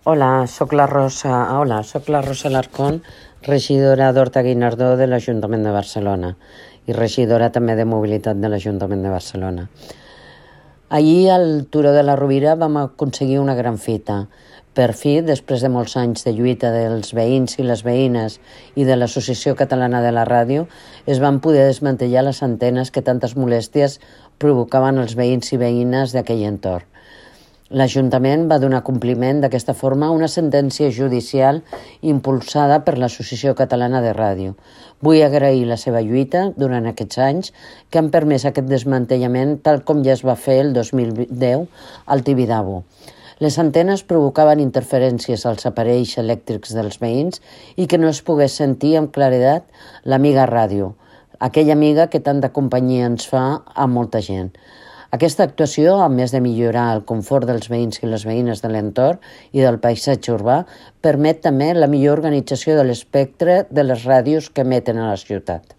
Soc la Rosa Alarcón, regidora d'Horta-Guinardó de l'Ajuntament de Barcelona i regidora també de Mobilitat de l'Ajuntament de Barcelona. Ahir al Turó de la Rovira vam aconseguir una gran fita. Per fi, després de molts anys de lluita dels veïns i les veïnes i de l'Associació Catalana de la Ràdio, es van poder desmantellar les antenes que tantes molèsties provocaven als veïns i veïnes d'aquell entorn. L'Ajuntament va donar compliment d'aquesta forma a una sentència judicial impulsada per l'Associació Catalana de Ràdio. Vull agrair la seva lluita durant aquests anys que han permès aquest desmantellament tal com ja es va fer el 2010 al Tibidabo. Les antenes provocaven interferències als aparells elèctrics dels veïns i que no es pogués sentir amb claredat l'amiga ràdio, aquella amiga que tanta companyia ens fa a molta gent. Aquesta actuació, a més de millorar el confort dels veïns i les veïnes de l'entorn i del paisatge urbà, permet també la millor organització de l'espectre de les ràdios que emeten a la ciutat.